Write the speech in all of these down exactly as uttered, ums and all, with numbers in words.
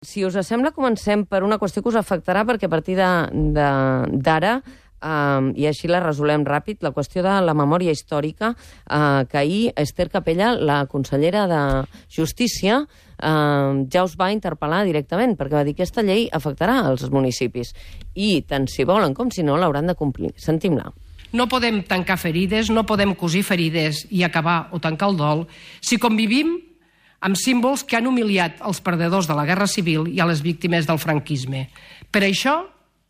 Si us sembla, comencem per una qüestió que us afectarà, perquè a partir d'ara, eh, i així la resolem ràpid, la qüestió de la memòria històrica, eh, que ahir Esther Capella, la consellera de Justícia, eh, ja us va interpel·lar directament, perquè va dir que aquesta llei afectarà els municipis. I tant si volen com si no, l'hauran de complir. Sentim-la. No podem tancar ferides, no podem cosir ferides i acabar o tancar el dol si convivim amb símbols que han humiliat els perdedors de la Guerra Civil i a les víctimes del franquisme. Per això,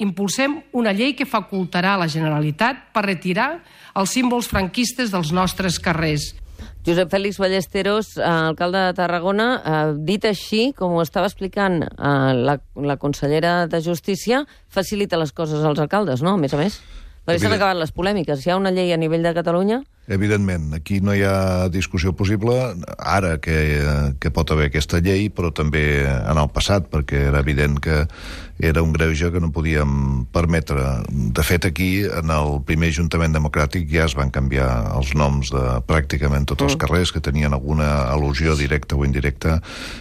impulsem una llei que facultarà a la Generalitat per retirar els símbols franquistes dels nostres carrers. Josep Félix Ballesteros, eh, alcalde de Tarragona, eh, dit així, com ho estava explicant eh, la, la consellera de Justícia, facilita les coses als alcaldes, no?, a més a més. Perquè s'han acabat les polèmiques. Hi ha una llei a nivell de Catalunya? Evidentment, aquí no hi ha discussió possible, ara que, que pot haver aquesta llei, però també en el passat, perquè era evident que era un greuge que no podíem permetre. De fet, aquí, en el primer Ajuntament Democràtic, ja es van canviar els noms de pràcticament tots els carrers que tenien alguna al·lusió directa o indirecta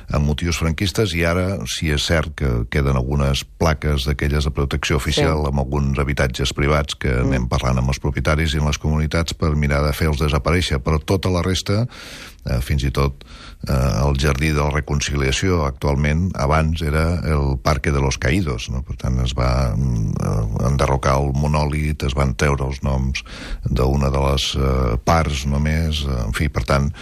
amb motius franquistes, i ara, si és cert que queden algunes plaques d'aquelles de protecció oficial sí. amb alguns habitatges privats que mm. anem parlant amb els propietaris i amb les comunitats per mirar de fer-los desaparèixer, però tota la resta, eh, fins i tot eh, el Jardí de la Reconciliació, actualment, abans era el Parque de los Caídos, no? Per tant, es va eh, enderrocar el monòlit, es van treure els noms d'una de les eh, parts només, eh, en fi, per tant,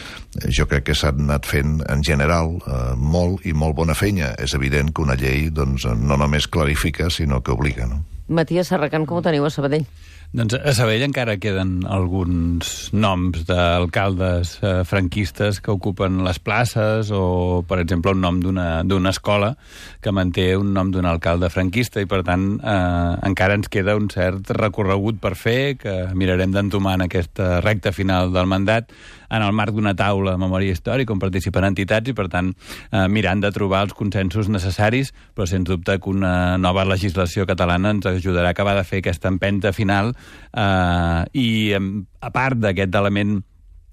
jo crec que s'han anat fent, en general, eh, molt i molt bona feina. És evident que una llei, doncs, no només clarifica, sinó que obliga, no? Matías Serracant, com ho teniu a Sabadell? Doncs a Sabadell encara queden alguns noms d'alcaldes eh, franquistes que ocupen les places, o, per exemple, un nom d'una d'una escola que manté un nom d'un alcalde franquista, i, per tant, eh, encara ens queda un cert recorregut per fer, que mirarem d'entomar en aquesta recta final del mandat, en el marc d'una taula de memòria històrica on participen entitats, i, per tant, eh, mirant de trobar els consensos necessaris, però sens dubte que una nova legislació catalana ens ajudarà a acabar de fer aquesta empenta final, eh, i a part d'aquest element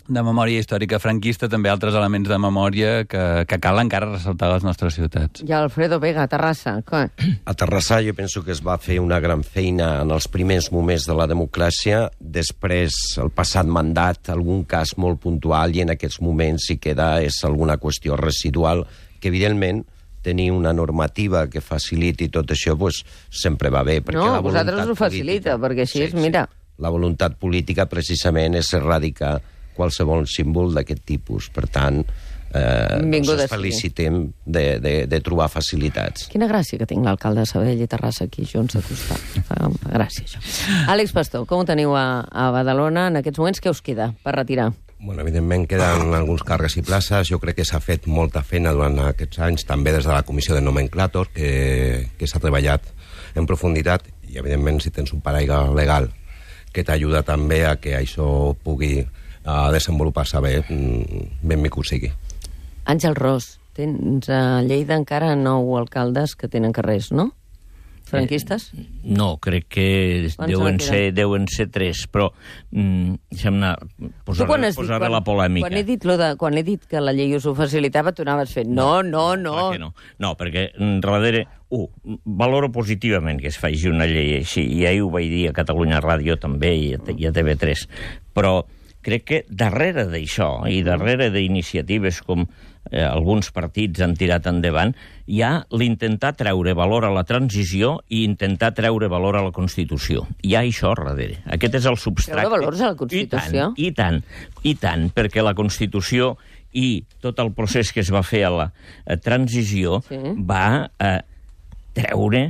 de memòria històrica franquista, també altres elements de memòria que, que cal encara ressaltar a les nostres ciutats. I Alfredo Vega, a Terrassa. Què? A Terrassa jo penso que es va fer una gran feina en els primers moments de la democràcia, després, el passat mandat, algun cas molt puntual, i en aquests moments si queda és alguna qüestió residual, que evidentment tenir una normativa que faciliti tot això pues, sempre va bé. Perquè no, la vosaltres ho facilita, política, perquè així sí, és, mira... Sí. La voluntat política precisament és erradicar qualsevol símbol d'aquest tipus. Per tant, eh, ens felicitem de, de, de trobar facilitats. Quina gràcia que tinc l'alcalde de Sabadell i Terrassa aquí junts a costat. Fa, fa gràcia, això. Àlex Pastor, com ho teniu a, a Badalona en aquests moments? Què us queda per retirar? Bueno, evidentment queden alguns càrrecs i places. Jo crec que s'ha fet molta feina durant aquests anys, també des de la comissió de nomenclàtor, que, que s'ha treballat en profunditat, i evidentment si tens un paraigua legal que t'ajuda també a que això pugui a desenvolupar-se bé, benvingut sigui. Àngel Ros, tens a Lleida encara nou alcaldes que tenen carrers, no? Franquistes? Eh, no, crec que deuen ser, deuen ser tres, però mm, deixa'm-ne posar, posar quan, la polèmica. Quan he, dit lo de, quan he dit que la llei us ho facilitava, tu anaves fent no, no, no. No, no. no perquè darrere, un, uh, valoro positivament que es faci una llei així, i ahir ho vaig dir a Catalunya Ràdio també i a, i a T V tres, però crec que darrere d'això i darrere d'iniciatives com eh, alguns partits han tirat endavant, hi ha l'intentar treure valor a la transició i intentar treure valor a la Constitució. Hi ha això darrere. Aquest és el substrat. Treure valors a la Constitució? I tant, i tant, i tant, perquè la Constitució i tot el procés que es va fer a la a transició sí. va eh, treure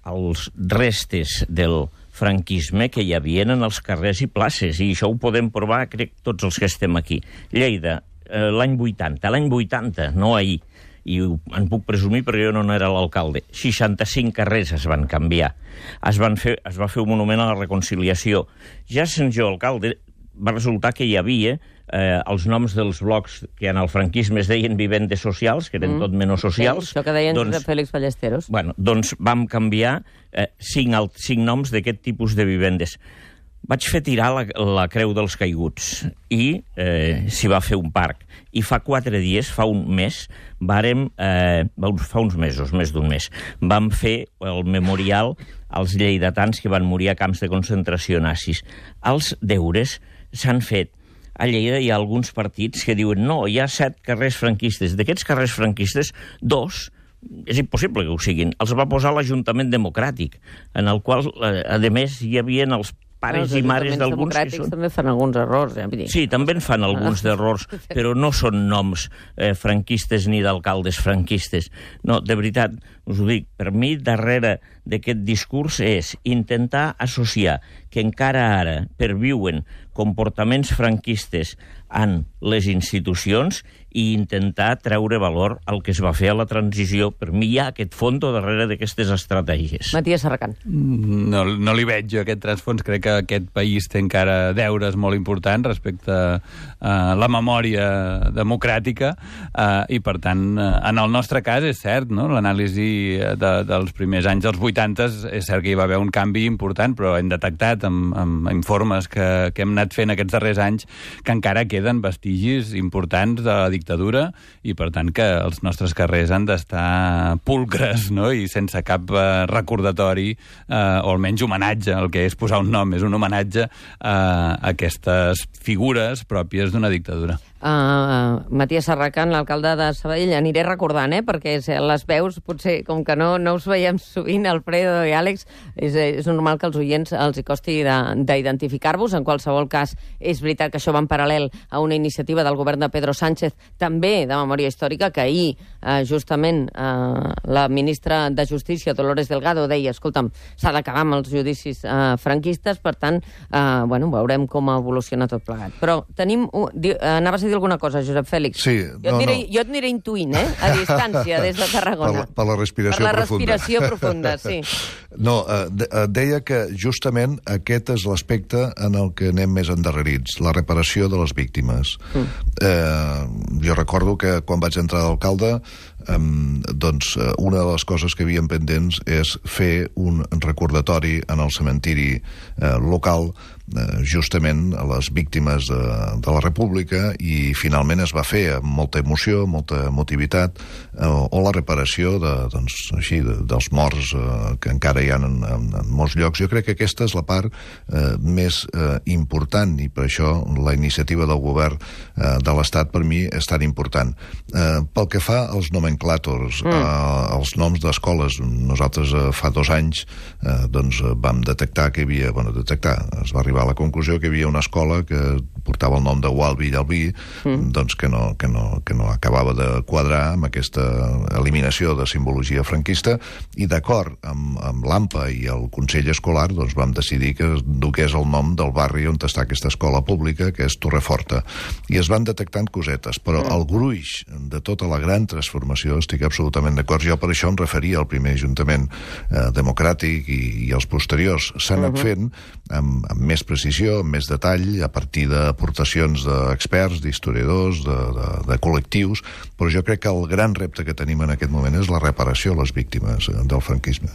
els restes del franquisme que hi havia en els carrers i places, i això ho podem provar, crec, tots els que estem aquí. Lleida, eh, l'any vuitanta, l'any vuitanta, no ahir, i en puc presumir perquè jo no era l'alcalde, seixanta-cinc carrers es van canviar. Es, van fer, es va fer un monument a la reconciliació. Ja sent jo alcalde, va resultar que hi havia eh, els noms dels blocs que en el franquisme es deien vivendes socials, que eren mm. tot menys socials. Sí, això que deien doncs, de Félix Ballesteros. Bueno, doncs vam canviar eh, cinc, cinc noms d'aquest tipus de vivendes. vaig fer tirar la, la Creu dels Caiguts i eh, s'hi va fer un parc. I fa quatre dies, fa un mes, vàrem, eh, fa uns mesos, més d'un mes, vam fer el memorial als lleidatans que van morir a camps de concentració nazis. Els deures s'han fet. A Lleida hi ha alguns partits que diuen no, hi ha set carrers franquistes. D'aquests carrers franquistes, dos, és impossible que ho siguin, els va posar l'Ajuntament Democràtic, en el qual, eh, a més, hi havia els pares i mares d'alguns que són... també fan alguns errors, eh? Sí, també en fan alguns d'errors, però no són noms eh, franquistes ni d'alcaldes franquistes. No, de veritat, us ho dic, per mi, darrere d'aquest discurs és intentar associar que encara ara perviuen comportaments franquistes en les institucions i intentar treure valor al que es va fer a la transició. Per mi hi ha aquest fons darrere d'aquestes estratègies. Matías Serracant. No, no li veig jo aquest transfons. Crec que aquest país té encara deures molt importants respecte a la memòria democràtica uh, i, per tant, en el nostre cas és cert, no? L'anàlisi de, dels primers anys dels vuitanta és cert que hi va haver un canvi important, però hem detectat amb, amb informes que, que hem anat fent aquests darrers anys que encara queden vestigis importants de la dictadura i, per tant, que els nostres carrers han d'estar pulcres, no? I sense cap uh, recordatori uh, o almenys homenatge. El que és posar un nom és un homenatge a aquestes figures pròpies d'una dictadura. Uh, Matías Serracant, l'alcalde de Sabadell, aniré recordant, eh, perquè les veus, potser, com que no, no us veiem sovint, Alfredo i Àlex, és, és normal que als oients els hi costi d'identificar-vos. En qualsevol cas, és veritat que això va en paral·lel a una iniciativa del govern de Pedro Sánchez, també de memòria històrica, que ahir, uh, justament, uh, la ministra de Justícia, Dolores Delgado, deia, escolta'm, s'ha d'acabar amb els judicis uh, franquistes, per tant, uh, bueno, veurem com evoluciona tot plegat. Però tenim... Uh, anaves a dir alguna cosa, Josep Fèlix? Sí. Jo, no, et diré, no. jo et aniré intuint, eh? A distància, des de Tarragona. Per la, per la respiració profunda. Per la profunda. respiració profunda, sí. No, eh, deia que justament aquest és l'aspecte en el que anem més endarrerits, la reparació de les víctimes. Mm. Eh, jo recordo que quan vaig entrar d'alcalde, eh, doncs una de les coses que havíem pendents és fer un recordatori en el cementiri eh, local eh, justament a les víctimes de, de la República, i finalment es va fer amb molta emoció, molta emotivitat, eh, o la reparació de, doncs, així, de, dels morts eh, que encara hi ha en, en, en molts llocs. Jo crec que aquesta és la part eh, més eh, important, i per això la iniciativa del govern eh, de l'Estat per mi és tan important. Eh, pel que fa als nomenclàtors, mm. eh, els noms d'escoles, nosaltres eh, fa dos anys eh, doncs, vam detectar que hi havia, bueno, detectar, es va arribar a la conclusió que hi havia una escola que portava el nom de Gualbi i Albí, mm. doncs que no, que, no, que no acabava de quadrar amb aquesta eliminació de simbologia franquista, i d'acord amb, amb l'A M P A i el Consell Escolar doncs vam decidir que dugués el nom del barri on està aquesta escola pública, que és Torreforta, i es van detectant cosetes, però mm. el gruix de tota la gran transformació estic absolutament d'acord. Jo per això em referia al primer Ajuntament eh, democràtic i, i els posteriors. S'han anat uh -huh. fent amb, amb més precisió, amb més detall, a partir d'aportacions d'experts, d'historiadors, de, de, de col·lectius, però jo crec que el gran repte que tenim en aquest moment és la reparació a les víctimes del franquisme.